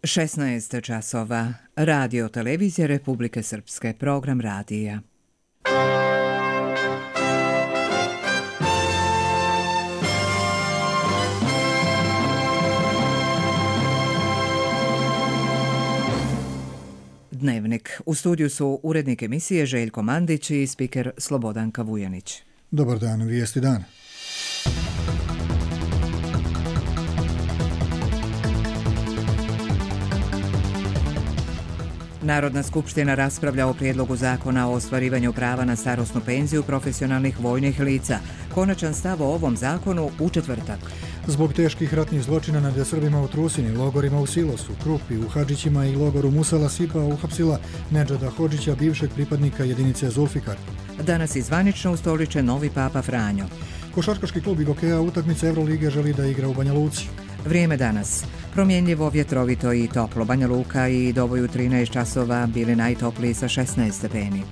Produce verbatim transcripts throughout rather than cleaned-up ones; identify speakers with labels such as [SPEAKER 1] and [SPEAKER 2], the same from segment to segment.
[SPEAKER 1] šesnaest časova. Radio televizije Republike Srpske. Program radija. Dnevnik. U studiju su urednik emisije Željko Mandić i spiker Slobodanka Vujanić.
[SPEAKER 2] Dobar dan, vijesti dana.
[SPEAKER 1] Narodna skupština raspravlja o prijedlogu zakona o ostvarivanju prava na starosnu penziju profesionalnih vojnih lica. Konačan stav o ovom zakonu u četvrtak.
[SPEAKER 2] Zbog teških ratnih zločina nad Srbima u Trusini, logorima u Silosu, Krupi, u Hadžićima i logoru Musala Sipa uhapsila Nedžada Hodžića, bivšeg pripadnika jedinice Zulfikar.
[SPEAKER 1] Danas izvanično ustoličen novi papa Franjo.
[SPEAKER 2] Košarkaški klub Igokeja utakmice Evrolige želi da igra u Banja Luci.
[SPEAKER 1] Vrijeme danas. Promjenljivo, vjetrovito i toplo. Banja Luka i Doboj u trinaest časova bili najtopliji sa šesnaest stepeni.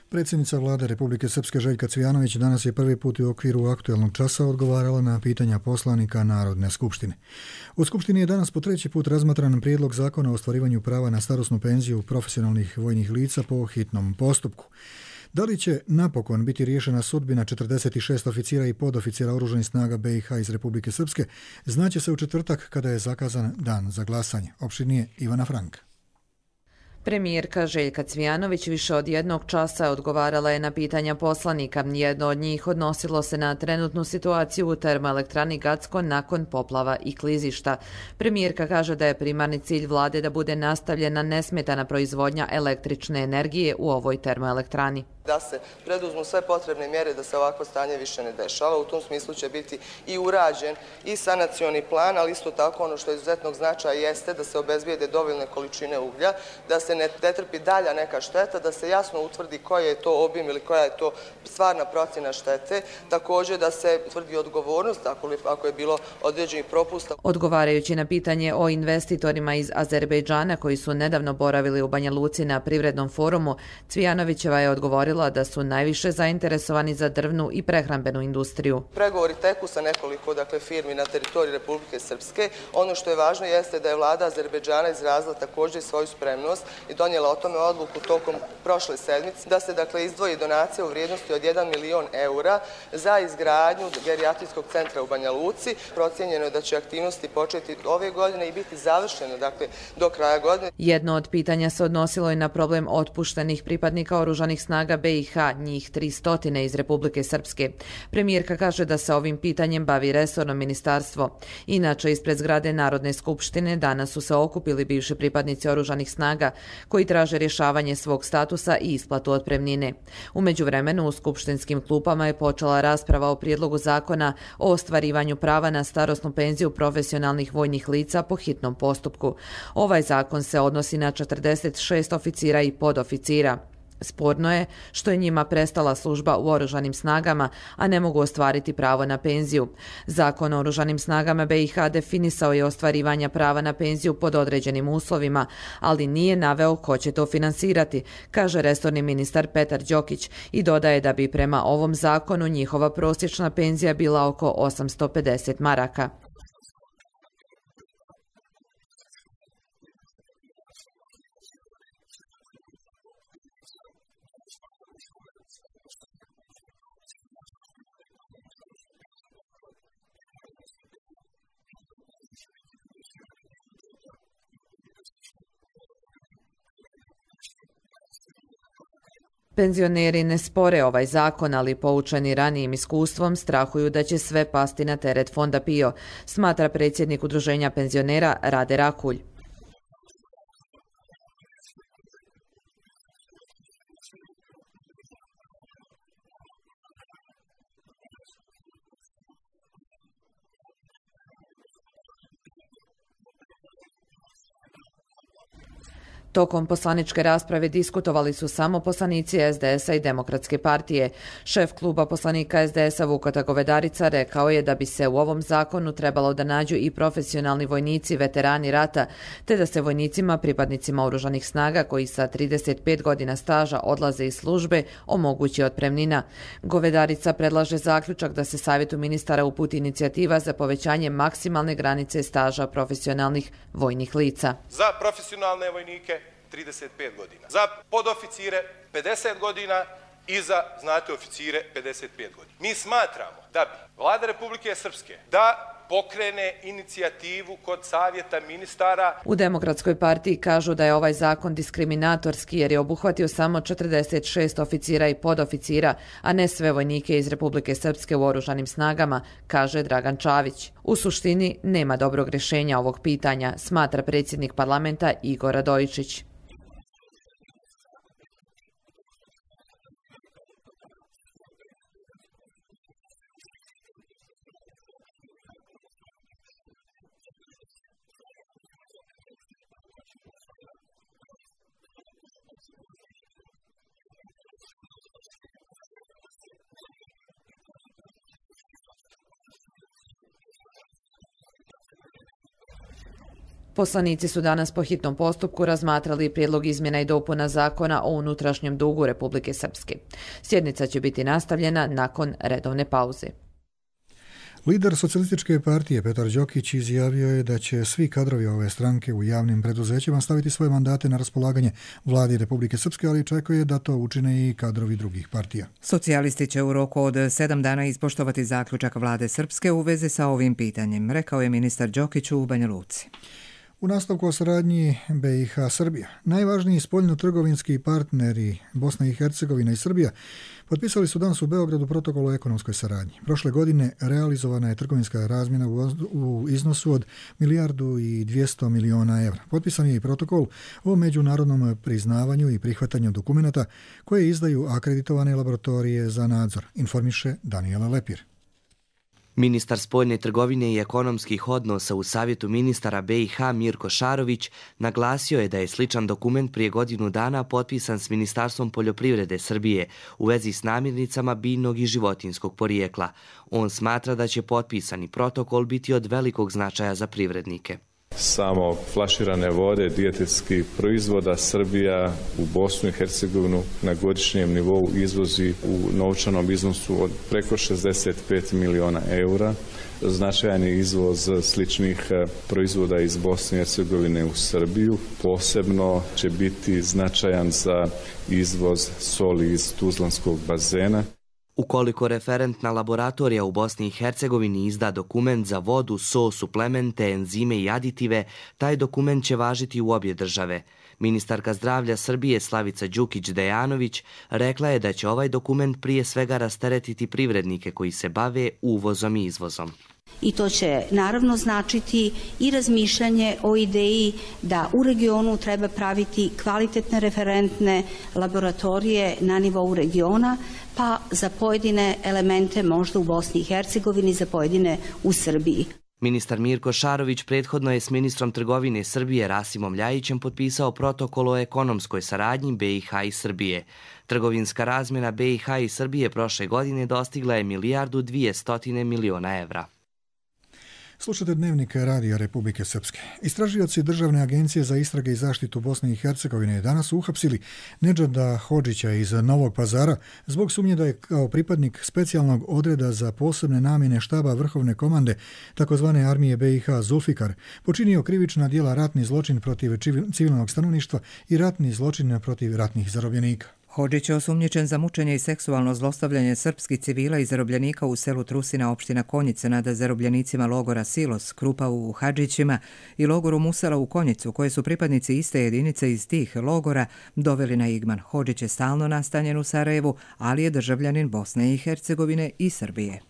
[SPEAKER 2] Predsjednica vlade Republike Srpske Željka Cvijanović danas je prvi put u okviru aktuelnog časa odgovarala na pitanja poslanika Narodne skupštine. U skupštini je danas po treći put razmatran prijedlog zakona o ostvarivanju prava na starosnu penziju profesionalnih vojnih lica po hitnom postupku. Da li će napokon biti riješena sudbina četrdeset šest oficira i podoficira oružanih snaga B i H iz Republike Srpske, znaće se u četvrtak kada je zakazan dan za glasanje. Opširnije Ivana Franka.
[SPEAKER 3] Premijerka Željka Cvijanović više od jednog časa odgovarala je na pitanja poslanika. Jedno od njih odnosilo se na trenutnu situaciju u termoelektrani Gacko nakon poplava i klizišta. Premijerka kaže da je primarni cilj vlade da bude nastavljena nesmetana proizvodnja električne energije u ovoj termoelektrani.
[SPEAKER 4] Da se preduzmu sve potrebne mjere da se ovakvo stanje više ne dešava. U tom smislu će biti i urađen i sanacioni plan, ali isto tako ono što je izuzetnog značaja jeste da se obezbijede dovoljne količine uglja, da se ne trpi dalja neka šteta, da se jasno utvrdi koji je to obim ili koja je to stvarna procjena štete, također da se utvrdi odgovornost ako je bilo određenih propusta.
[SPEAKER 3] Odgovarajući na pitanje o investitorima iz Azerbejdžana koji su nedavno boravili u Banja Luci na privrednom forumu, Cvijanovićeva je odgovorila da su najviše zainteresovani za drvnu i prehrambenu industriju.
[SPEAKER 4] Pregovori teku sa nekoliko dakle, firmi na teritoriji Republike Srpske. Ono što je važno jeste da je vlada Azerbejdžana izrazila također svoju spremnost i donijela o tome odluku tokom prošle sedmice da se dakle, izdvoji donacija u vrijednosti od jedan milion eura za izgradnju gerijatrijskog centra u Banja Luci. Procijenjeno je da će aktivnosti početi ove godine i biti završene dakle, do kraja godine.
[SPEAKER 3] Jedno od pitanja se odnosilo i na problem otpuštenih pripadnika oružanih snaga B i H, njih tristo iz Republike Srpske. Premijerka kaže da se ovim pitanjem bavi resorno ministarstvo. Inače, ispred zgrade Narodne skupštine danas su se okupili bivši pripadnici oružanih snaga koji traže rješavanje svog statusa i isplatu otpremnine. U međuvremenu u skupštinskim klupama je počela rasprava o prijedlogu zakona o ostvarivanju prava na starosnu penziju profesionalnih vojnih lica po hitnom postupku. Ovaj zakon se odnosi na četrdeset šest oficira i podoficira. Sporno je što je njima prestala služba u oružanim snagama, a ne mogu ostvariti pravo na penziju. Zakon o oružanim snagama B i H definisao je ostvarivanje prava na penziju pod određenim uslovima, ali nije naveo ko će to finansirati, kaže resorni ministar Petar Đokić i dodaje da bi prema ovom zakonu njihova prosječna penzija bila oko osamsto pedeset maraka. Penzioneri ne spore ovaj zakon, ali poučeni ranijim iskustvom strahuju da će sve pasti na teret fonda P I O, smatra predsjednik Udruženja penzionera Rade Rakulj. Tokom poslaničke rasprave diskutovali su samo poslanici es de es a i Demokratske partije. Šef kluba poslanika es de es a Vukota Govedarica rekao je da bi se u ovom zakonu trebalo da nađu i profesionalni vojnici, veterani rata, te da se vojnicima, pripadnicima oružanih snaga koji sa trideset pet godina staža odlaze iz službe, omogući otpremnina. Govedarica predlaže zaključak da se Savjetu ministara uputi inicijativa za povećanje maksimalne granice staža profesionalnih vojnih lica.
[SPEAKER 5] Za profesionalne vojnike trideset pet godina, za podoficire pedeset godina i za, znate, oficire pedeset pet godina. Mi smatramo da bi Vlada Republike Srpske da pokrene inicijativu kod Savjeta ministara.
[SPEAKER 3] U Demokratskoj partiji kažu da je ovaj zakon diskriminatorski jer je obuhvatio samo četrdeset šest oficira i podoficira, a ne sve vojnike iz Republike Srpske u oružanim snagama, kaže Dragan Čavić. U suštini nema dobrog rješenja ovog pitanja, smatra predsjednik parlamenta Igor Radojičić. Poslanici su danas po hitnom postupku razmatrali prijedlog izmjena i dopuna zakona o unutrašnjem dugu Republike Srpske. Sjednica će biti nastavljena nakon redovne pauze.
[SPEAKER 2] Lider socijalističke partije Petar Đokić izjavio je da će svi kadrovi ove stranke u javnim preduzećima staviti svoje mandate na raspolaganje vladi Republike Srpske, ali očekuje da to učine i kadrovi drugih partija.
[SPEAKER 1] Socijalisti će u roku od sedam dana ispoštovati zaključak vlade Srpske u vezi sa ovim pitanjem, rekao je ministar Đokić u Banja Luci.
[SPEAKER 2] U nastavku o saradnji be i ha Srbija, najvažniji spoljno-trgovinski partneri Bosna i Hercegovina i Srbija potpisali su danas u Beogradu protokol o ekonomskoj saradnji. Prošle godine realizovana je trgovinska razmjena u iznosu od milijardu i dvjesto miliona evra. Potpisan je i protokol o međunarodnom priznavanju i prihvatanju dokumenata koje izdaju akreditovane laboratorije za nadzor, informiše Daniela Lepir.
[SPEAKER 6] Ministar spoljne trgovine i ekonomskih odnosa u Savjetu ministara be i ha Mirko Šarović naglasio je da je sličan dokument prije godinu dana potpisan s Ministarstvom poljoprivrede Srbije u vezi s namirnicama biljnog i životinjskog porijekla. On smatra da će potpisani protokol biti od velikog značaja za privrednike.
[SPEAKER 7] Samo flaširane vode, dijetetskih proizvoda Srbija u Bosnu i Hercegovinu na godišnjem nivou izvozi u novčanom iznosu od preko šezdeset pet miliona eura. Značajan je izvoz sličnih proizvoda iz Bosne i Hercegovine u Srbiju. Posebno će biti značajan za izvoz soli iz Tuzlanskog bazena.
[SPEAKER 6] Ukoliko referentna laboratorija u Bosni i Hercegovini izda dokument za vodu, so, suplemente, enzime i aditive, taj dokument će važiti u obje države. Ministarka zdravlja Srbije Slavica Đukić-Dejanović rekla je da će ovaj dokument prije svega rasteretiti privrednike koji se bave uvozom i izvozom.
[SPEAKER 8] I to će naravno značiti i razmišljanje o ideji da u regionu treba praviti kvalitetne referentne laboratorije na nivou regiona, pa za pojedine elemente možda u Bosni i Hercegovini, za pojedine u Srbiji.
[SPEAKER 6] Ministar Mirko Šarović prethodno je s ministrom trgovine Srbije Rasimom Ljajićem potpisao protokol o ekonomskoj saradnji be i ha i Srbije. Trgovinska razmjena be i ha i Srbije prošle godine dostigla je milijardu dvjesto miliona evra.
[SPEAKER 2] Slušate Dnevnik Radija Republike Srpske. Istražioci Državne agencije za istrage i zaštitu Bosne i Hercegovine danas su uhapsili Nedžada Hodžića iz Novog Pazara zbog sumnje da je kao pripadnik specijalnog odreda za posebne namjene štaba Vrhovne komande takozvane armije be i ha Zulfikar počinio krivična djela ratni zločin protiv civilnog stanovništva i ratni zločin protiv ratnih zarobljenika.
[SPEAKER 1] Hodžić je osumnjičen za mučenje i seksualno zlostavljanje srpskih civila i zarobljenika u selu Trusina, opština Konjice, nad zarobljenicima logora Silos, Krupa u Hadžićima i logoru Musala u Konjicu, koje su pripadnici iste jedinice iz tih logora doveli na Igman. Hodžić je stalno nastanjen u Sarajevu, ali je državljanin Bosne i Hercegovine i Srbije.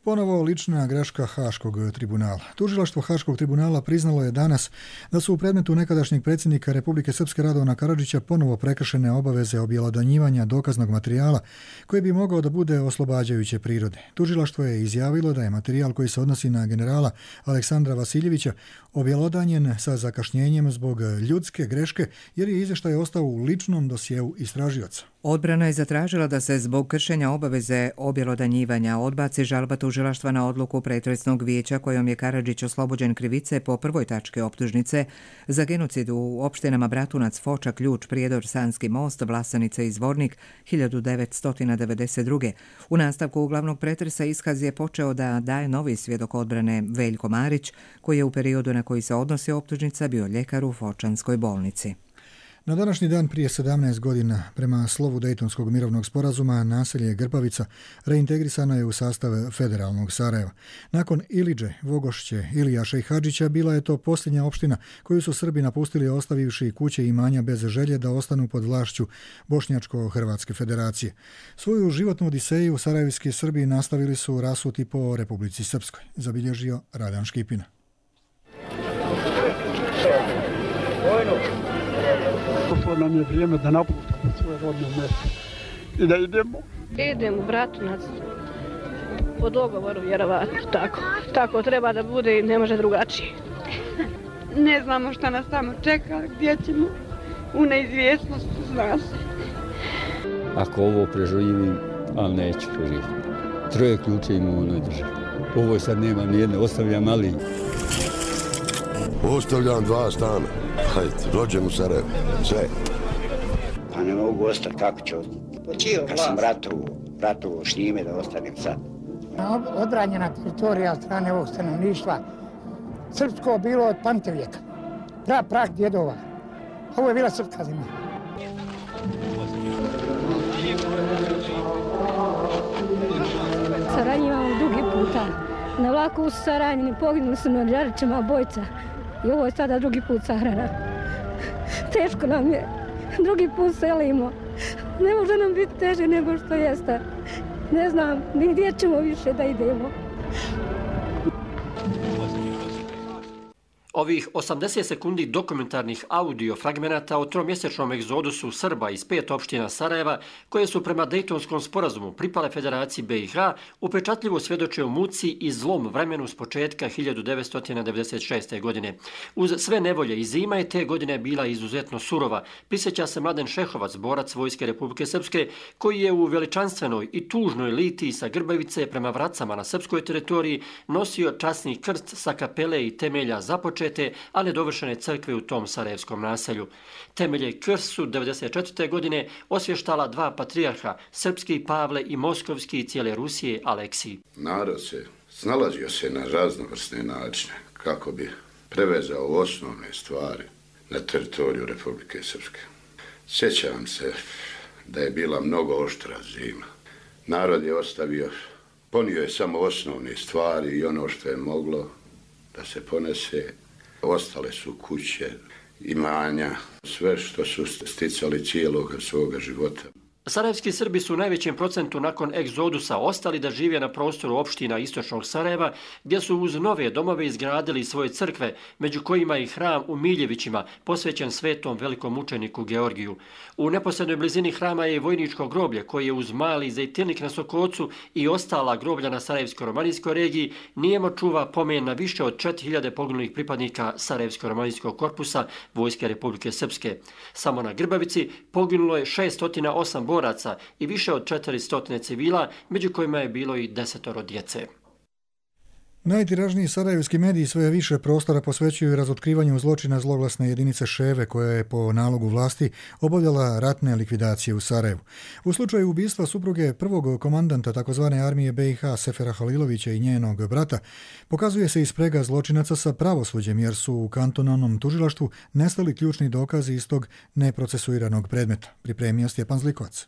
[SPEAKER 2] Ponovo lična greška Haškog tribunala. Tužilaštvo Haškog tribunala priznalo je danas da su u predmetu nekadašnjeg predsjednika Republike Srpske Radovana Karadžića ponovo prekršene obaveze objelodanjivanja dokaznog materijala koji bi mogao da bude oslobađajuće prirode. Tužilaštvo je izjavilo da je materijal koji se odnosi na generala Aleksandra Vasiljevića objelodanjen sa zakašnjenjem zbog ljudske greške jer je izvještaj ostao u ličnom dosjeu istražioca.
[SPEAKER 1] Odbrana je zatražila da se zbog kršenja obaveze objelodanjivanja odbaci žalba tužilaštva na odluku pretresnog vijeća kojom je Karadžić oslobođen krivice po prvoj tački optužnice za genocid u opštinama Bratunac, Foča, Ključ, Prijedor, Sanski most, Vlasanica i Zvornik hiljadu devetsto devedeset druge. U nastavku uglavnog pretresa iskaz je počeo da daje novi svjedok odbrane Veljko Marić, koji je u periodu na koji se odnosi optužnica bio ljekar u Fočanskoj bolnici.
[SPEAKER 2] Na današnji dan prije sedamnaest godina, prema slovu Dejtonskog mirovnog sporazuma, naselje Grbavica reintegrisano je u sastav federalnog Sarajeva. Nakon Ilidže, Vogošće, Ilijaša i Hadžića bila je to posljednja opština koju su Srbi napustili ostavivši kuće i imanja bez želje da ostanu pod vlašću Bošnjačko-Hrvatske federacije. Svoju životnu odiseju sarajevski Srbi nastavili su rasuti po Republici Srpskoj, zabilježio Radan Škipina.
[SPEAKER 9] Došlo nam je vrijeme da napustimo svoje rodno mjesto i da idemo.
[SPEAKER 10] Idem u Bratunac po dogovoru, vjerovatno. Tako, tako treba da bude i ne može drugačije.
[SPEAKER 11] Ne znamo šta nas tamo čeka, gdje ćemo, u neizvjesnosti, zna se.
[SPEAKER 12] Ako ovo preživim, ali neću preživiti. Troje ključe ima u onoj državi. Ovo sad nema nijedne, ostavljam ali...
[SPEAKER 13] Ostavljam dva stana. Hajde, rođen u Sarajevu. Sve.
[SPEAKER 14] Pa ne mogu ostati, kako ću ostati? Kad sam ratovo, ratovo s njime da ostanem sad.
[SPEAKER 15] Odbranjena teritorija od strane ovog stanovništva. Srpsko bilo od pamtivijeka. Pra, prah djedova. Ovo je bila srpska zemlja.
[SPEAKER 10] Saranj imamo drugi puta. Na vlaku u Saranjini poginuli su na Đarićima obojca. I ovo je sada drugi put sahrana. Teško nam je. Drugi put selimo. Ne može nam biti teže nego što jeste. Ne znam, ni gdje ćemo više da idemo.
[SPEAKER 16] Ovih osamdeset sekundi dokumentarnih audio fragmenata o tromjesečnom egzodusu Srba iz pet opština Sarajeva, koje su prema Dejtonskom sporazumu pripale Federaciji B i H, upečatljivo svjedoče o muci i zlom vremenu s početka hiljadu devetsto devedeset šeste. godine. Uz sve nevolje i zima je te godine bila izuzetno surova. Prisjeća se Mladen Šehovac, borac Vojske Republike Srpske, koji je u veličanstvenoj i tužnoj litiji sa Grbavice prema Vracama na srpskoj teritoriji nosio časni krst sa kapele i temelja započet, a nedovršene crkve u tom sarajevskom naselju. Temelje krst su devedeset četvrte. godine osvještala dva patrijarha, srpski Pavle i moskovski cijele Rusije Aleksij.
[SPEAKER 13] Narod se snalazio se na raznovrsne načine kako bi prevezao osnovne stvari na teritoriju Republike Srpske. Sjećam se da je bila mnogo oštra zima. Narod je ostavio, ponio je samo osnovne stvari i ono što je moglo da se ponese. Ostale su kuće, imanja, sve što su sticali cijelog svoga života.
[SPEAKER 16] Sarajevski Srbi su u najvećem procentu nakon egzodusa ostali da žive na prostoru opština istočnog Sarajeva, gdje su uz nove domove izgradili svoje crkve, među kojima i hram u Miljevićima, posvećen svetom velikom mučeniku Georgiju. U neposrednoj blizini hrama je i vojničko groblje, koje je uz mali zejtilnik na Sokocu i ostala groblja na Sarajevsko-romanijskoj regiji, nijemo čuva pomen na više od četiri hiljade poginulih pripadnika Sarajevsko-romanijskog korpusa Vojske Republike Srpske. Samo na Grbavici poginulo je šeststo osam boraca i više od četiristo civila, među kojima je bilo i desetoro djece.
[SPEAKER 2] Najtiražniji sarajevski mediji sve više prostora posvećuju razotkrivanju zločina zloglasne jedinice Ševe, koja je po nalogu vlasti obavljala ratne likvidacije u Sarajevu. U slučaju ubistva supruge prvog komandanta takozvane armije B i H Sefera Halilovića i njenog brata, pokazuje se i sprega zločinaca sa pravosuđem, jer su u kantonalnom tužilaštvu nestali ključni dokazi iz tog neprocesuiranog predmeta, pripremio Stjepan Zlikovac.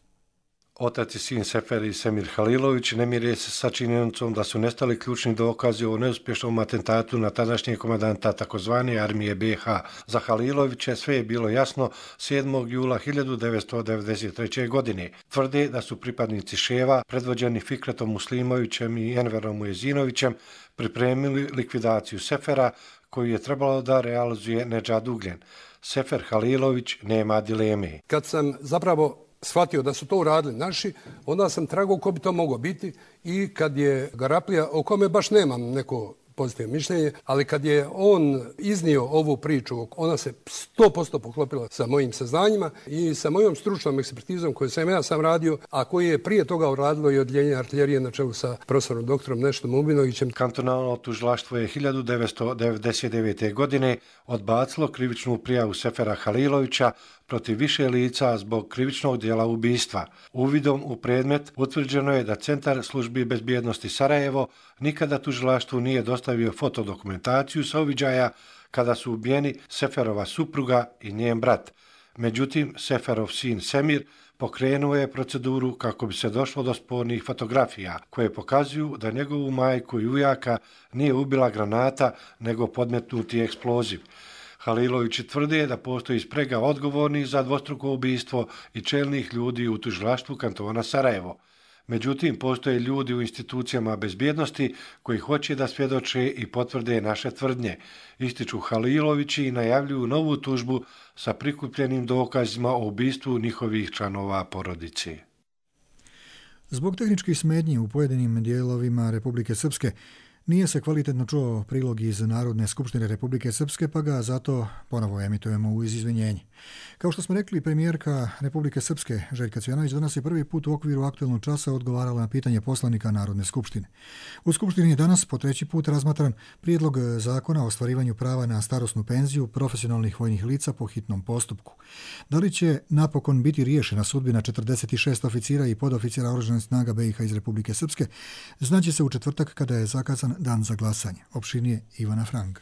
[SPEAKER 17] Otac i sin Sefer i Semir Halilović ne mire se sa činjenicom da su nestali ključni dokazi o neuspješnom atentatu na tadašnjeg komandanta takozvane armije B i H. Za Haliloviće sve je bilo jasno sedmog jula hiljadu devetsto devedeset treće. godine. Tvrde da su pripadnici Ševa, predvođeni Fikretom Muslimovićem i Enverom Ujezinovićem, pripremili likvidaciju Sefera koju je trebalo da realizuje Nedžad Ugljen. Sefer Halilović nema dileme.
[SPEAKER 18] Kad sam zapravo shvatio da su to uradili naši, onda sam tragao ko bi to moglo biti i kad je Garaplija, o kome baš nemam neko pozitivno mišljenje, ali kad je on iznio ovu priču, ona se sto posto poklopila sa mojim saznanjima i sa mojom stručnom ekspertizom koju sam ja sam radio, a koji je prije toga uradilo i odjeljenje artiljerije na čelu sa profesorom doktorom Neštom Ubinovićem.
[SPEAKER 17] Kantonalno tužilaštvo je hiljadu devetsto devedeset devete. godine odbacilo krivičnu prijavu Sefera Halilovića protiv više lica zbog krivičnog dijela ubistva. Uvidom u predmet utvrđeno je da Centar službi bezbjednosti Sarajevo nikada tužilaštvu nije dostavio fotodokumentaciju sa uviđaja kada su ubijeni Seferova supruga i njen brat. Međutim, Seferov sin Semir pokrenuo je proceduru kako bi se došlo do spornih fotografija koje pokazuju da njegovu majku i ujaka nije ubila granata nego podmetnuti eksploziv. Halilovići tvrde da postoji sprega odgovornih za dvostruko ubistvo i čelnih ljudi u tužilaštvu kantona Sarajevo. Međutim, postoje ljudi u institucijama bezbjednosti koji hoće da svjedoče i potvrde naše tvrdnje. Ističu Halilovići i najavljuju novu tužbu sa prikupljenim dokazima o ubistvu njihovih članova porodice.
[SPEAKER 2] Zbog tehničkih smetnji u pojedinim dijelovima Republike Srpske nije se kvalitetno čuo prilog iz Narodne skupštine Republike Srpske, pa ga zato ponovo emitujemo uz izvinjenje. Kao što smo rekli, premijerka Republike Srpske Željka Cvijanović danas je prvi put u okviru aktuelnog časa odgovarala na pitanje poslanika Narodne skupštine. U skupštini je danas po treći put razmatran prijedlog zakona o ostvarivanju prava na starosnu penziju profesionalnih vojnih lica po hitnom postupku. Da li će napokon biti riješena sudbina četrdeset šest oficira i podoficira Oružanih snaga B i H iz Republike Srpske, znaće se u četvrtak kada je zakazan dan za glasanje. Opširnije Ivana Frank.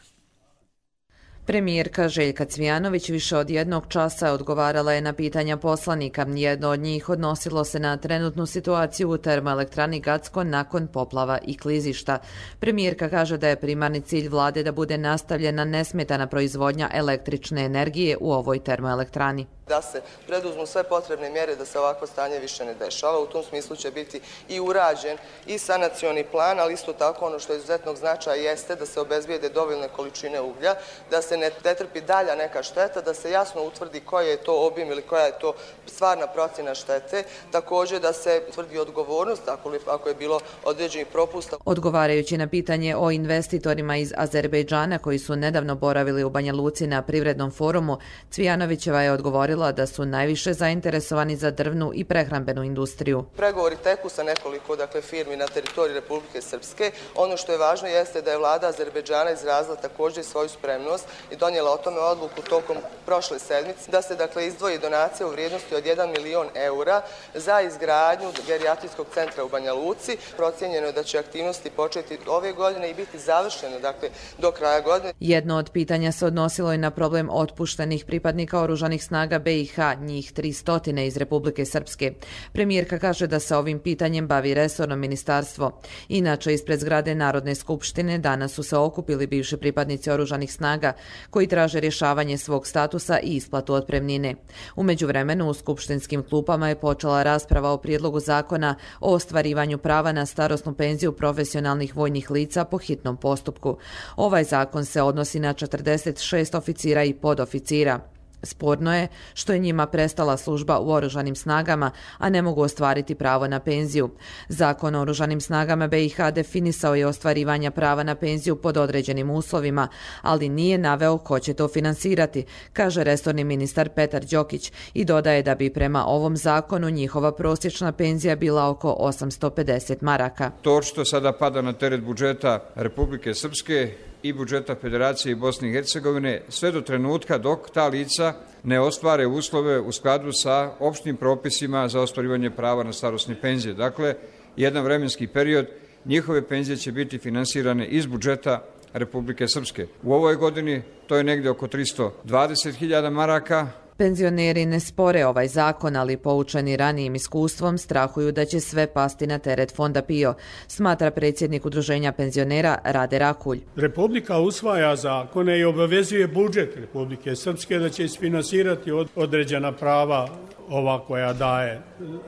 [SPEAKER 3] Premijerka Željka Cvijanović više od jednog časa odgovarala je na pitanja poslanika. Jedno od njih odnosilo se na trenutnu situaciju u termoelektrani Gacko nakon poplava i klizišta. Premijerka kaže da je primarni cilj vlade da bude nastavljena nesmetana proizvodnja električne energije u ovoj termoelektrani.
[SPEAKER 4] Da se preduzmu sve potrebne mjere da se ovakvo stanje više ne dešava. U tom smislu će biti i urađen i sanacioni plan, ali isto tako ono što je izuzetnog značaja jeste da se obezbijede dovoljne količine uglja, da se ne trpi dalja neka šteta, da se jasno utvrdi koji je to obim ili koja je to stvarna procjena štete, također da se utvrdi odgovornost ako je bilo određenih propusta.
[SPEAKER 3] Odgovarajući na pitanje o investitorima iz Azerbejdžana koji su nedavno boravili u Banja Luci na privrednom forumu, Cvijanovićeva je odgovorila da su najviše zainteresovani za drvnu i prehrambenu industriju.
[SPEAKER 4] Pregovori teku sa nekoliko dakle, firmi na teritoriji Republike Srpske. Ono što je važno jeste da je vlada Azerbejdžana izrazila također svoju spremnost i donijela o tome odluku tokom prošle sedmice da se dakle, izdvoji donacija u vrijednosti od jedan milion eura za izgradnju gerijatrijskog centra u Banja Luci. Procijenjeno je da će aktivnosti početi ove godine i biti završene dakle, do kraja godine.
[SPEAKER 3] Jedno od pitanja se odnosilo i na problem otpuštenih pripadnika Oružanih snaga B i H, njih tristo iz Republike Srpske. Premijerka kaže da se ovim pitanjem bavi resorno ministarstvo. Inače, ispred zgrade Narodne skupštine danas su se okupili bivši pripadnici Oružanih snaga koji traže rješavanje svog statusa i isplatu otpremnine. U međuvremenu u skupštinskim klupama je počela rasprava o prijedlogu zakona o ostvarivanju prava na starosnu penziju profesionalnih vojnih lica po hitnom postupku. Ovaj zakon se odnosi na četrdeset šest oficira i podoficira. Sporno je što je njima prestala služba u Oružanim snagama, a ne mogu ostvariti pravo na penziju. Zakon o Oružanim snagama B i H definisao je ostvarivanje prava na penziju pod određenim uslovima, ali nije naveo ko će to finansirati, kaže resorni ministar Petar Đokić i dodaje da bi prema ovom zakonu njihova prosječna penzija bila oko osamsto pedeset maraka.
[SPEAKER 19] To očito sada pada na teret budžeta Republike Srpske i budžeta Federacije i Bosne i Hercegovine sve do trenutka dok ta lica ne ostvare uslove u skladu sa opštim propisima za ostvarivanje prava na starosne penzije. Dakle, jedan vremenski period njihove penzije će biti finansirane iz budžeta Republike Srpske. U ovoj godini to je negdje oko tristo dvadeset hiljada maraka,
[SPEAKER 3] Penzioneri ne spore ovaj zakon, ali poučeni ranijim iskustvom strahuju da će sve pasti na teret fonda P I O, smatra predsjednik Udruženja penzionera Rade Rakulj.
[SPEAKER 20] Republika usvaja zakone i obavezuje budžet Republike Srpske da će isfinansirati određena prava ova koja daje,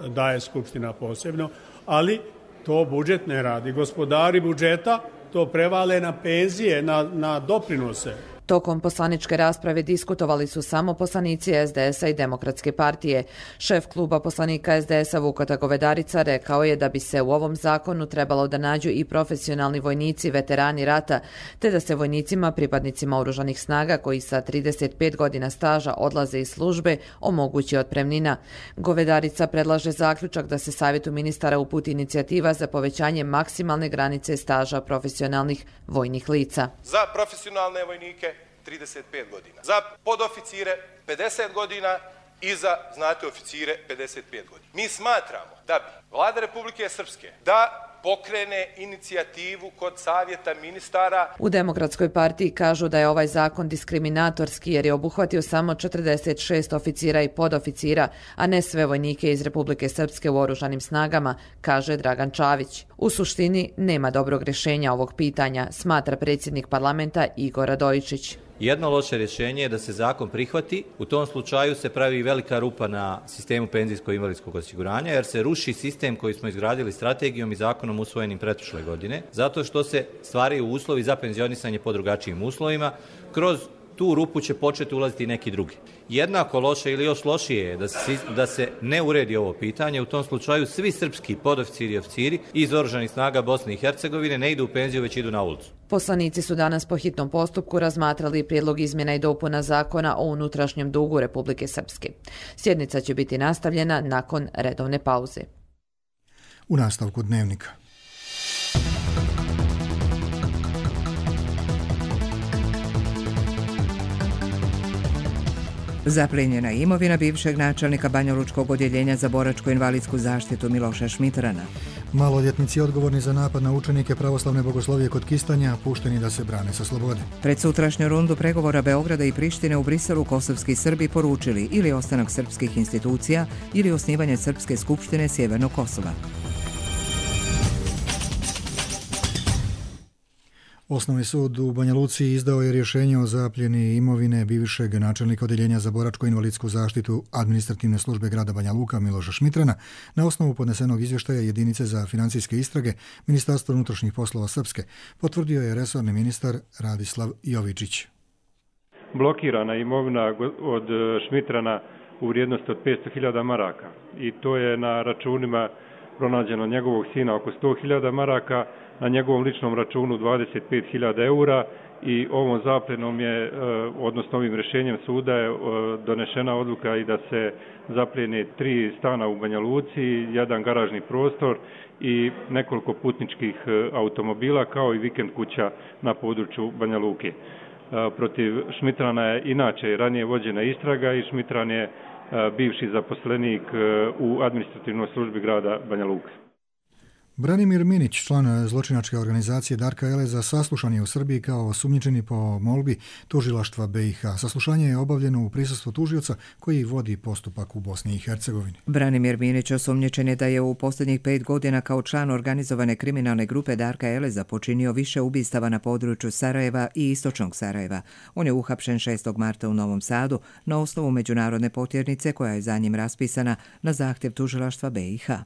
[SPEAKER 20] daje Skupština posebno, ali to budžet ne radi. Gospodari budžeta to prevale na penzije, na, na doprinose.
[SPEAKER 3] Tokom poslaničke rasprave diskutovali su samo poslanici S D S-a i Demokratske partije. Šef kluba poslanika S D S-a Vukota Govedarica rekao je da bi se u ovom zakonu trebalo da nađu i profesionalni vojnici, veterani rata, te da se vojnicima, pripadnicima oružanih snaga koji sa trideset pet godina staža odlaze iz službe, omogući otpremnina. Govedarica predlaže zaključak da se Savjetu ministara uputi inicijativa za povećanje maksimalne granice staža profesionalnih vojnih lica.
[SPEAKER 5] Za profesionalne vojnike trideset pet godina, za podoficire pedeset godina i za, znate, oficire pedeset pet godina. Mi smatramo da bi Vlada Republike Srpske da pokrene inicijativu kod Savjeta ministara.
[SPEAKER 3] U Demokratskoj partiji kažu da je ovaj zakon diskriminatorski jer je obuhvatio samo četrdeset šest oficira i podoficira, a ne sve vojnike iz Republike Srpske u oružanim snagama, kaže Dragan Čavić. U suštini nema dobrog rješenja ovog pitanja, smatra predsjednik parlamenta Igor Radojičić.
[SPEAKER 21] Jedno loše rješenje je da se zakon prihvati. U tom slučaju se pravi velika rupa na sistemu penzijsko-invalidskog osiguranja jer se ruši sistem koji smo izgradili strategijom i zakonom usvojenim pretprošle godine, zato što se stvaraju uslovi za penzionisanje po drugačijim uslovima. Kroz tu rupu će početi ulaziti neki drugi. Jednako loše ili još lošije je da se, da se ne uredi ovo pitanje. U tom slučaju svi srpski podoficiri i oficiri iz oružanih snaga Bosne i Hercegovine ne idu u penziju, već idu na ulicu.
[SPEAKER 3] Poslanici su danas po hitnom postupku razmatrali prijedlog izmjena i dopuna zakona o unutrašnjem dugu Republike Srpske. Sjednica će biti nastavljena nakon redovne pauze.
[SPEAKER 2] U nastavku dnevnika.
[SPEAKER 1] Zaplijenjena imovina bivšeg načelnika Banjalučkog odjeljenja za boračko-invalidsku zaštitu Miloša Šmitrana.
[SPEAKER 2] Maloljetnici odgovorni za napad na učenike pravoslavne bogoslovije kod Kistanja pušteni da se brane sa slobode.
[SPEAKER 1] Pred sutrašnju rundu pregovora Beograda i Prištine u Briselu kosovski Srbi poručili ili ostanak srpskih institucija ili osnivanje Srpske skupštine Sjevernog Kosova.
[SPEAKER 2] Osnovni sud u Banja Luci izdao je rješenje o zapljeni imovine bivšeg načelnika odjeljenja za boračko-invalidsku zaštitu administrativne službe grada Banja Luka Miloša Šmitrana na osnovu podnesenog izvještaja jedinice za financijske istrage Ministarstva unutrašnjih poslova Srpske, potvrdio je resorni ministar Radislav Jovičić.
[SPEAKER 22] Blokirana imovina od Šmitrana u vrijednosti od petsto hiljada maraka i to je na računima pronađeno njegovog sina oko sto hiljada maraka, na njegovom ličnom računu dvadeset pet hiljada eura i ovom zapljenom je, odnosno ovim rješenjem suda je donešena odluka i da se zapljene tri stana u Banja Luci, jedan garažni prostor i nekoliko putničkih automobila kao i vikend kuća na području Banja Luke. Protiv Šmitrana je inače ranije vođena istraga i Šmitran je bivši zaposlenik u administrativnoj službi grada Banja Luka.
[SPEAKER 2] Branimir Minić, član zločinačke organizacije Darka Eleza, saslušan je u Srbiji kao osumnjičeni po molbi tužilaštva B i H. Saslušanje je obavljeno u prisustvu tužioca koji vodi postupak u Bosni i Hercegovini.
[SPEAKER 1] Branimir Minić osumnjičen je da je u posljednjih pet godina kao član organizovane kriminalne grupe Darka Eleza počinio više ubistava na području Sarajeva i istočnog Sarajeva. On je uhapšen šestog marta u Novom Sadu na osnovu međunarodne potjernice koja je za njim raspisana na zahtjev tužilaštva B i H.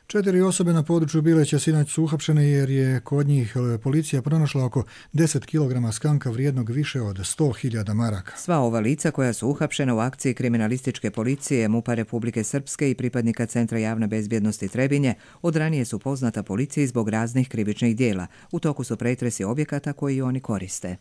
[SPEAKER 2] Četiri osobe na području Bileća sinoć su uhapšene jer je kod njih policija pronašla oko deset kilograma skanka vrijednog više od sto hiljada maraka.
[SPEAKER 1] Sva ova lica koja su uhapšena u akciji kriminalističke policije MUP-a Republike Srpske i pripadnika Centra javne bezbjednosti Trebinje od ranije su poznata policiji zbog raznih krivičnih dijela. U toku su pretresi objekata koji oni koriste.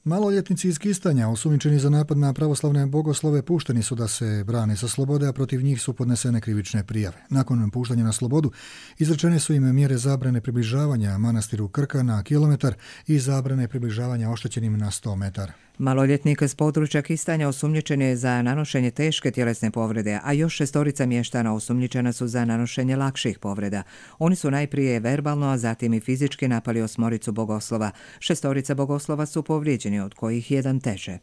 [SPEAKER 2] Maloljetnici iz Kistanja, osumnjičeni za napad na pravoslavne bogoslove, pušteni su da se brane sa slobode, a protiv njih su podnesene krivične prijave. Nakon puštanja na slobodu, izrečene su im mjere zabrane približavanja manastiru Krka na kilometar i zabrane približavanja oštećenim na sto metara.
[SPEAKER 1] Maloljetnik s područja Kistanja osumnjičen je za nanošenje teške tjelesne povrede, a još šestorica mještana osumnjičena su za nanošenje lakših povreda. Oni su najprije verbalno, a zatim i fizički napali osmoricu bogoslova. Šestorica bogoslova su povrijeđeni, od kojih jedan teže.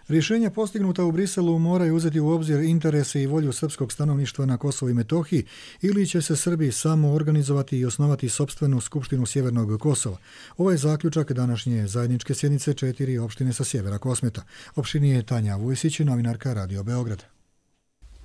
[SPEAKER 2] Rješenja postignuta u Briselu moraju uzeti u obzir interese i volju srpskog stanovništva na Kosovu i Metohiji ili će se Srbi samo organizovati i osnovati sopstvenu skupštinu Sjevernog Kosova. Ovo je zaključak današnje zajedničke sjednice četiri opštine sa sjevera Kosmeta. Opštini je Tanja Vujsić, novinarka Radio Beograd.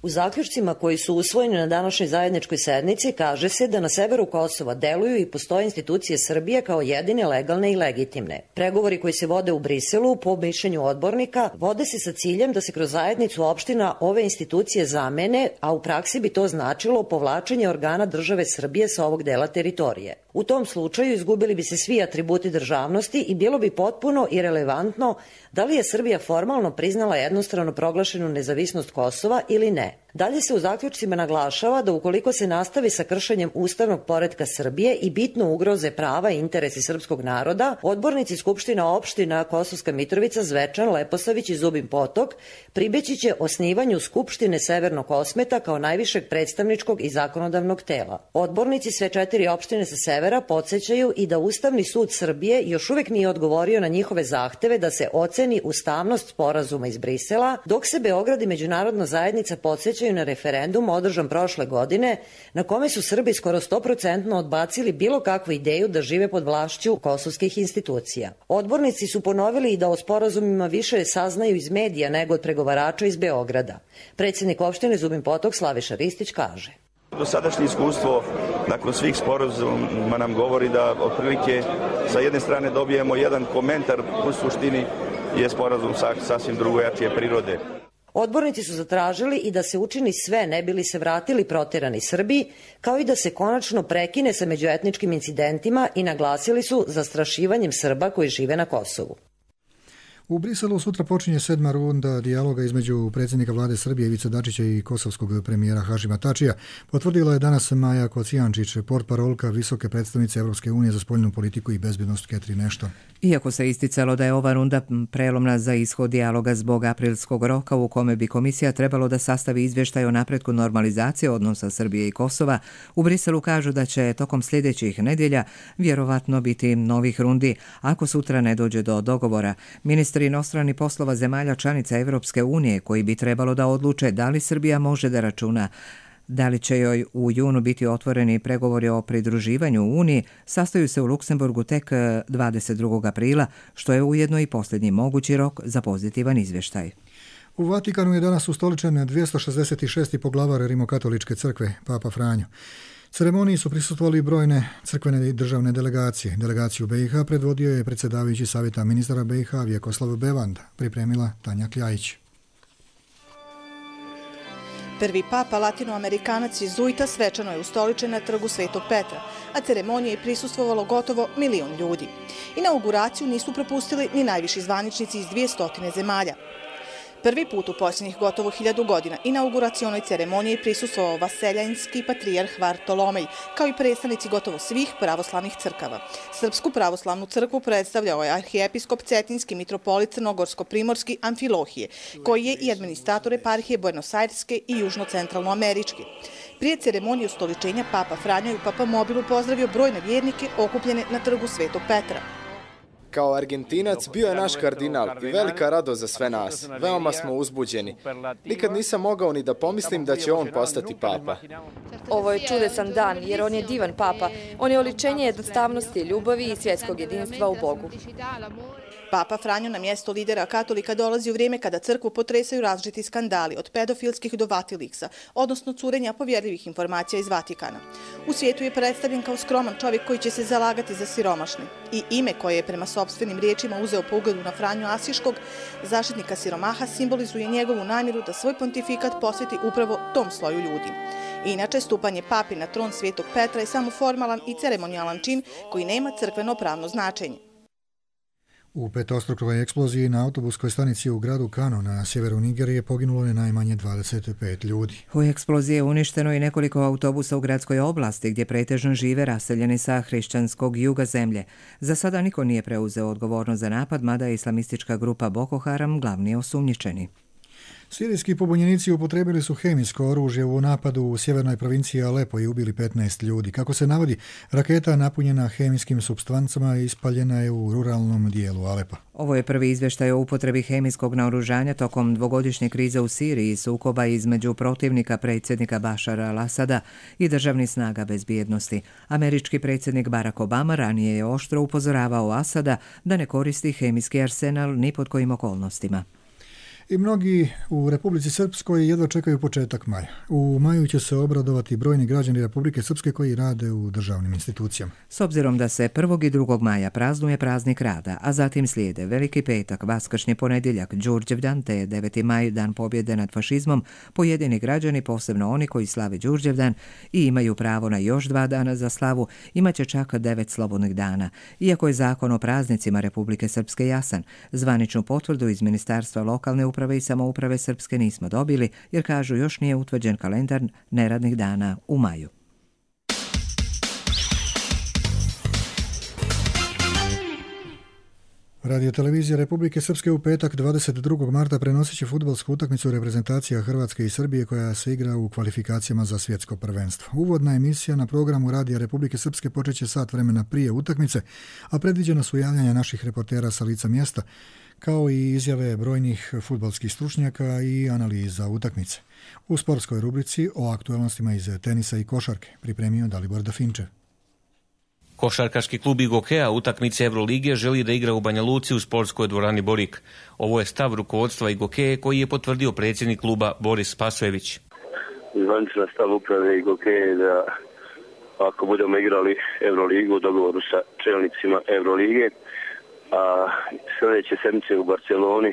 [SPEAKER 7] U zaključcima koji su usvojeni na današnjoj zajedničkoj sednici kaže se da na severu Kosova deluju i postoje institucije Srbije kao jedine legalne i legitimne. Pregovori koji se vode u Briselu, po mišljenju odbornika, vode se sa ciljem da se kroz zajednicu opština ove institucije zamene, a u praksi bi to značilo povlačenje organa države Srbije sa ovog dela teritorije. U tom slučaju izgubili bi se svi atributi državnosti i bilo bi potpuno irelevantno da li je Srbija formalno priznala jednostrano proglašenu nezavisnost Kosova ili ne. Dalje se u zaključcima naglašava da ukoliko se nastavi sa kršenjem ustavnog poretka Srbije i bitno ugroze prava i interesi srpskog naroda, odbornici Skupština opština Kosovska Mitrovica, Zvečan, Leposavić i Zubin Potok pribeći će osnivanju Skupštine Severnog Kosmeta kao najvišeg predstavničkog i zakonodavnog tela. Odbornici sve četiri opštine sa severa podsjećaju i da Ustavni sud Srbije još uvek nije odgovorio na njihove zahteve da se oceni ustavnost sporazuma iz Brisela, dok se Beograd i međunarodna zajednica podsjećaju na referendum održan prošle godine, na kome su Srbi skoro sto posto odbacili bilo kakvu ideju da žive pod vlašću kosovskih institucija. Odbornici su ponovili i da o sporazumima više saznaju iz medija nego od pregovarača iz Beograda. Predsjednik opštine Zubin Potok Slaviša Ristić kaže:
[SPEAKER 8] Dosadašnje iskustvo nakon svih sporazuma nam govori da otprilike sa jedne strane dobijemo jedan komentar, u suštini je sporazum sasvim drugojačije prirode.
[SPEAKER 7] Odbornici su zatražili i da se učini sve ne bili se vratili protjerani Srbi, kao i da se konačno prekine sa međuetničkim incidentima i naglasili su zastrašivanjem Srba koji žive na Kosovu.
[SPEAKER 2] U Briselu sutra počinje sedma runda dijaloga između predsjednika vlade Srbije Ivice Dačića i kosovskog premijera Hašima Tačija. Potvrdila je danas Maja Kocijančić, portparolka visoke predstavnice Europske unije za spoljnu politiku i bezbjednost Catherine Ashton.
[SPEAKER 1] Iako se isticalo da je ova runda prelomna za ishod dijaloga zbog aprilskog roka u kome bi komisija trebalo da sastavi izvještaj o napretku normalizacije odnosa Srbije i Kosova, u Briselu kažu da će tokom sljedećih nedjelja vjerovatno biti novih rundi ako sutra ne dođe do dogovora. Ministri inostranih poslova zemalja članica Evropske unije koji bi trebalo da odluče da li Srbija može da računa da li će joj u junu biti otvoreni pregovori o pridruživanju u Uniji, sastaju se u Luksemburgu tek dvadeset drugog aprila, što je ujedno i posljednji mogući rok za pozitivan izvještaj.
[SPEAKER 2] U Vatikanu je danas ustoličen dvjesto šezdeset šesti poglavar Rimokatoličke crkve, Papa Franjo. Ceremoniji su prisustvovali brojne crkvene i državne delegacije. Delegaciju B i H predvodio je predsjedavajući savjeta ministara B i H Vjekoslav Bevanda, pripremila Tanja Kljajić.
[SPEAKER 23] Prvi papa latinoamerikanac jezuita svečano je ustoličen na trgu Svetog Petra, a ceremoniji je prisustvovalo gotovo milion ljudi. Inauguraciju nisu propustili ni najviši zvaničnici iz dvjesto zemalja. Prvi put u posljednjih gotovo hiljadu godina inauguracionoj ceremoniji prisustvovao vaseljanski patrijarh Vartolomej, kao i predstavnici gotovo svih pravoslavnih crkava. Srpsku pravoslavnu crkvu predstavljao je arhijepiskop Cetinski mitropolit Crnogorsko-primorski Amfilohije, koji je i administrator eparhije Buenos Aireske i južno-centralnoameričke. Prije ceremonije ustoličenja Papa Franjo i u Papa Mobilu pozdravio brojne vjernike okupljene na trgu Svetog Petra.
[SPEAKER 24] Kao Argentinac bio je naš kardinal i velika radost za sve nas. Veoma smo uzbuđeni. Nikad nisam mogao ni da pomislim da će on postati papa.
[SPEAKER 25] Ovo je čudesan dan jer on je divan papa. On je oličenje jednostavnosti, ljubavi i svjetskog jedinstva u Bogu.
[SPEAKER 23] Papa Franjo na mjesto lidera katolika dolazi u vrijeme kada crkvu potresaju različiti skandali od pedofilskih do Vatiliksa, odnosno curenja povjerljivih informacija iz Vatikana. U svijetu je predstavljen kao skroman čovjek koji će se zalagati za siromašne i ime koje je prema sopstvenim riječima uzeo po ugledu na Franju Asiškog, zaštitnika siromaha, simbolizuje njegovu namjeru da svoj pontifikat posveti upravo tom sloju ljudi. Inače, stupanje papi na tron Svetog Petra je samo formalan i ceremonijalan čin koji nema crkveno pravno značenje.
[SPEAKER 2] U petostrukoj eksploziji na autobuskoj stanici u gradu Kano na sjeveru Nigerije poginulo je najmanje dvadeset pet ljudi.
[SPEAKER 1] U eksploziji je uništeno i nekoliko autobusa u gradskoj oblasti gdje pretežno žive raseljeni sa hrišćanskog juga zemlje. Za sada niko nije preuzeo odgovornost za napad, mada je islamistička grupa Boko Haram glavni osumnjičeni.
[SPEAKER 2] Sirijski pobunjenici upotrijebili su hemijsko oružje u napadu u sjevernoj provinciji Alepo i ubili petnaest ljudi. Kako se navodi, raketa napunjena hemijskim supstancama ispaljena je u ruralnom dijelu Alepa.
[SPEAKER 1] Ovo je prvi izvještaj o upotrebi hemijskog naoružanja tokom dvogodišnje krize u Siriji, sukoba između protivnika predsjednika Bašara al-Asada i državnih snaga bezbjednosti. Američki predsjednik Barack Obama ranije je oštro upozoravao Asada da ne koristi hemijski arsenal ni pod kojim okolnostima.
[SPEAKER 2] I mnogi u Republici Srpskoj jedva čekaju početak maja. U maju će se obradovati brojni građani Republike Srpske koji rade u državnim institucijama.
[SPEAKER 1] S obzirom da se prvog i drugog maja praznuje praznik rada, a zatim slijede Veliki petak, Vaskršnji ponedjeljak, Đurđevdan te deveti maj, dan pobjede nad fašizmom, pojedini građani, posebno oni koji slave Đurđevdan i imaju pravo na još dva dana za slavu, imaće čak devet slobodnih dana. Iako je zakon o praznicima Republike Srpske jasan, zvaničnu potvrdu iz Ministarstva lokalne uprave uprave i samouprave Srpske nismo dobili, jer kažu još nije utvrđen kalendar neradnih dana u maju.
[SPEAKER 2] Radio televizija Republike Srpske u petak dvadeset drugog marta prenosit će fudbalsku utakmicu reprezentacija Hrvatske i Srbije koja se igra u kvalifikacijama za svjetsko prvenstvo. Uvodna emisija na programu Radija Republike Srpske počeće sat vremena prije utakmice, a predviđena su javljanja naših reportera sa lica mjesta, kao i izjave brojnih fudbalskih stručnjaka i analiza utakmice. U sportskoj rubrici o aktualnostima iz tenisa i košarke pripremio Dalibor Dafinčev.
[SPEAKER 6] Košarkaški klub Igokea utakmice Evrolige želi da igra u Banja Luci u sportskoj dvorani Borik. Ovo je stav rukovodstva Igokee koji je potvrdio predsjednik kluba Boris Spasojević.
[SPEAKER 9] Zvanična stav uprave Igokee da ako budemo igrali Evroligu u dogovoru sa čelnicima Evrolige, a sljedeće sedmice u Barceloni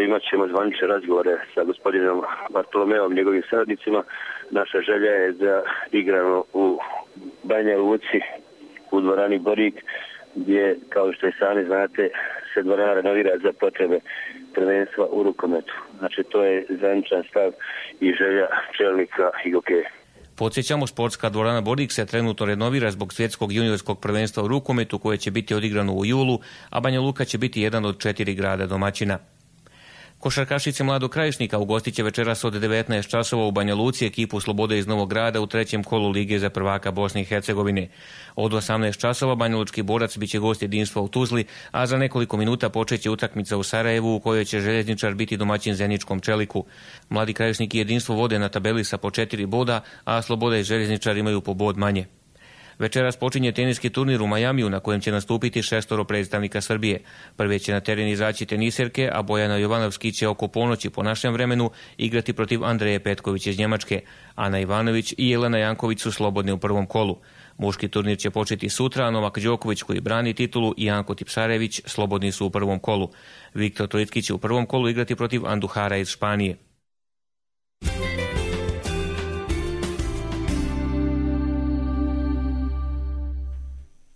[SPEAKER 9] imat ćemo zvanične razgovore sa gospodinom Bartolomeom, njegovim saradnicima. Naša želja je da igramo u Banja Luci u dvorani Borik, gdje, kao što i sami znate, se dvorana renovira za potrebe prvenstva u rukometu. Znači, to je zvaničan stav i želja čelnika Igokee.
[SPEAKER 6] Podsjećamo, sportska dvorana Borik se trenutno renovira zbog svjetskog juniorskog prvenstva u rukometu koje će biti odigrano u julu, a Banja Luka će biti jedan od četiri grada domaćina. Košarkašice Mladog Krajišnika ugostit će večeras od devetnaest časova u Banja Luci ekipu Slobode iz Novog Grada u trećem kolu Lige za prvaka Bosne i Hercegovine. Od osamnaest časova Banjalučki Borac biće gost Jedinstva u Tuzli, a za nekoliko minuta počeće utakmica u Sarajevu u kojoj će Željezničar biti domaćin Zeničkom Čeliku. Mladi Krajišnik i Jedinstvo vode na tabeli sa po četiri boda, a Sloboda i Željezničar imaju po bod manje. Večeras počinje teniski turnir u Majamiju na kojem će nastupiti šestoro predstavnika Srbije. Prve će na teren izaći teniserke, a Bojana Jovanovski će oko ponoći po našem vremenu igrati protiv Andreje Petković iz Njemačke. Ana Ivanović i Jelena Janković su slobodne u prvom kolu. Muški turnir će početi sutra, a Novak Đoković koji brani titulu i Janko Tipsarević slobodni su u prvom kolu. Viktor Trojicki će u prvom kolu igrati protiv Anduhara iz Španije.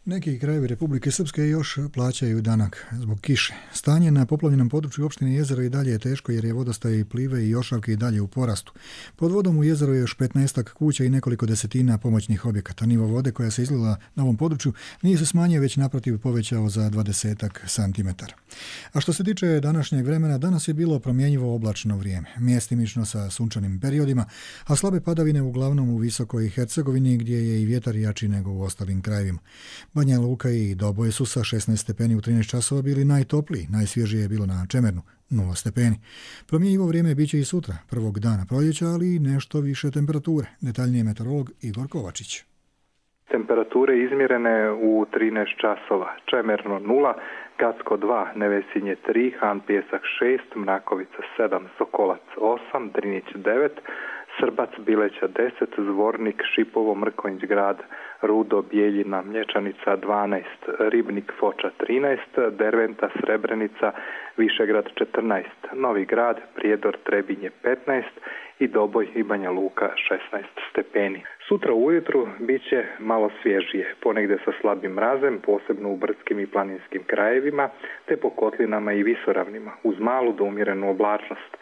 [SPEAKER 2] Neki krajevi Republike Srpske još plaćaju danak zbog kiše. Stanje na poplavljenom području opštine Jezero i dalje je teško jer je vodostaj i plive i jošavke i dalje u porastu. Pod vodom u Jezeru je još petnaestak kuća i nekoliko desetina pomoćnih objekata. Nivo vode koja se izlila na ovom području nije se smanjio, već naprotiv povećao za dvadesetak santimetara. A što se tiče današnjeg vremena, danas je bilo promjenjivo oblačno vrijeme, mjestimično sa sunčanim periodima, a slabe padavine uglavnom u Visokoj Hercegovini gdje je i vjetar jači nego u ostalim krajevima. Banja Luka i Doboje su sa šesnaest stepeni u trinaest časova bili najtopliji, najsvježije je bilo na Čemernu, nula stepeni. Promjenjivo vrijeme biće i sutra, prvog dana proljeća, ali i nešto više temperature. Detaljnije meteorolog Igor Kovačić.
[SPEAKER 11] Temperature izmjerene u trinaest časova. Čemerno nula, Gacko dva, Nevesinje tri, Han Pjesak šest, Mrakovica sedam, Sokolac osam, Drinić devet, Srbac Bileća deset, Zvornik, Šipovo, Mrkonjić grad Rudo, Bijeljina, Mlječanica dvanaest, Ribnik, Foča trinaest, Derventa, Srebrenica, Višegrad četrnaest, Novi Grad, Prijedor, Trebinje petnaest i Doboj i Banja Luka šesnaest stepeni. Sutra ujutru bit će malo svježije, ponegdje sa slabim mrazem, posebno u brdskim i planinskim krajevima, te po kotlinama i visoravnima, uz malu do umjerenu oblačnost.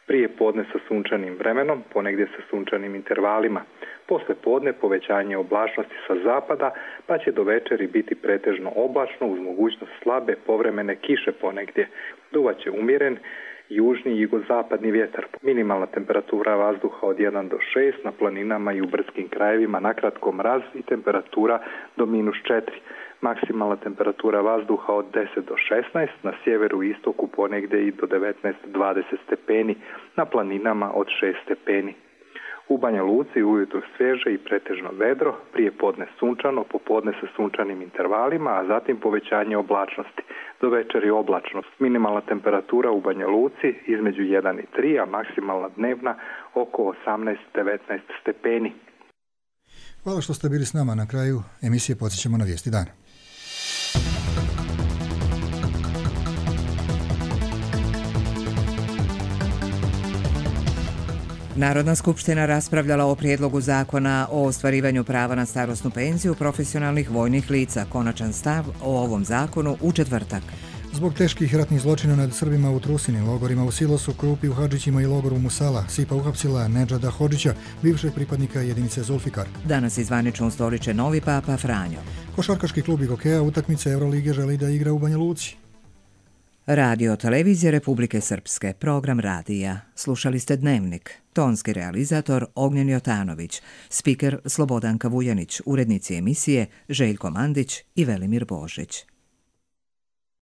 [SPEAKER 11] Prije podne sa sunčanim vremenom, ponegdje sa sunčanim intervalima. Posle podne povećanje oblačnosti sa zapada, pa će do večeri biti pretežno oblačno uz mogućnost slabe povremene kiše ponegdje. Duvaće umjeren južni i jugozapadni vjetar. Minimalna temperatura vazduha od jedan do šest, na planinama i u brdskim krajevima nakratko mraz i temperatura do minus četiri. Maksimalna temperatura vazduha od deset do šesnaest, na sjeveru i istoku ponegdje i do devetnaest do dvadeset stepeni, na planinama od šest stepeni. U Banja Luci ujutro svježe i pretežno vedro, prije podne sunčano, popodne sa sunčanim intervalima, a zatim povećanje oblačnosti. Do večeri oblačnost. Minimalna temperatura u Banja Luci između jedan i tri, a maksimalna dnevna oko osamnaest do devetnaest stepeni.
[SPEAKER 2] Hvala što ste bili s nama. Na kraju emisije podsjećamo na vijesti dana.
[SPEAKER 1] Narodna skupština raspravljala o prijedlogu zakona o ostvarivanju prava na starosnu penziju profesionalnih vojnih lica. Konačan stav o ovom zakonu u četvrtak.
[SPEAKER 2] Zbog teških ratnih zločina nad Srbima u Trusini, logorima u Silosu, Krupi u Hadžićima i logoru Musala, SIPA uhapsila Nedžada Hodžića, bivšeg pripadnika jedinice Zulfikar.
[SPEAKER 1] Danas izvanično ustoliče novi papa Franjo.
[SPEAKER 2] Košarkaški klub Gokeja utakmice Evrolige želi da igra u Banja Luci.
[SPEAKER 1] Radio Televizije Republike Srpske, program radija. Slušali ste Dnevnik. Tonski realizator Ognjen Jotanović, spiker Slobodanka Vujanić, urednici emisije Željko Mandić i Velimir Božić.